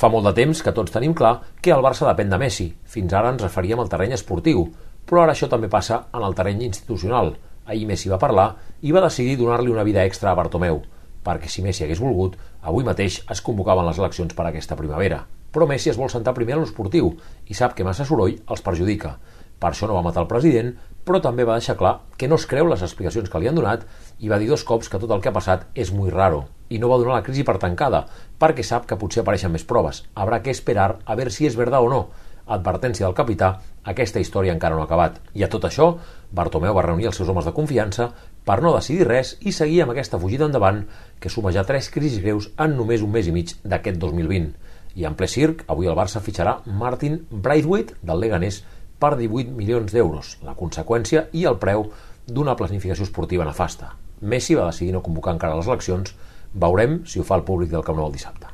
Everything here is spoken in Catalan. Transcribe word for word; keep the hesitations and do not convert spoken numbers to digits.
Fa molt de temps que tots tenim clar que el Barça depèn de Messi. Fins ara ens referíem al terreny esportiu, però ara això també passa en el terreny institucional. Ahir Messi va parlar i va decidir donar-li una vida extra a Bartomeu, perquè si Messi hagués volgut, avui mateix es convocaven les eleccions per aquesta primavera. Però Messi es vol sentar primer a l'esportiu i sap que massa soroll els perjudica. Per això no va matar el president, però també va deixar clar que no es creu les explicacions que li han donat i va dir dos cops que tot el que ha passat és muy raro i no va donar la crisi per tancada, perquè sap que potser apareixen més proves. Habrá que esperar a ver si és verdad o no. Advertència del capità, aquesta història encara no ha acabat. I a tot això, Bartomeu va reunir els seus homes de confiança per no decidir res i seguir amb aquesta fugida endavant que suma ja tres crisis greus en només un mes i mig d'aquest dos mil vint. I en ple circ, avui el Barça fitxarà Martin Braithwaite del Leganés per divuit milions d'euros, la conseqüència i el preu d'una planificació esportiva nefasta. Messi va decidir no convocar encara les eleccions. Veurem si ho fa el públic del Camp Nou el dissabte.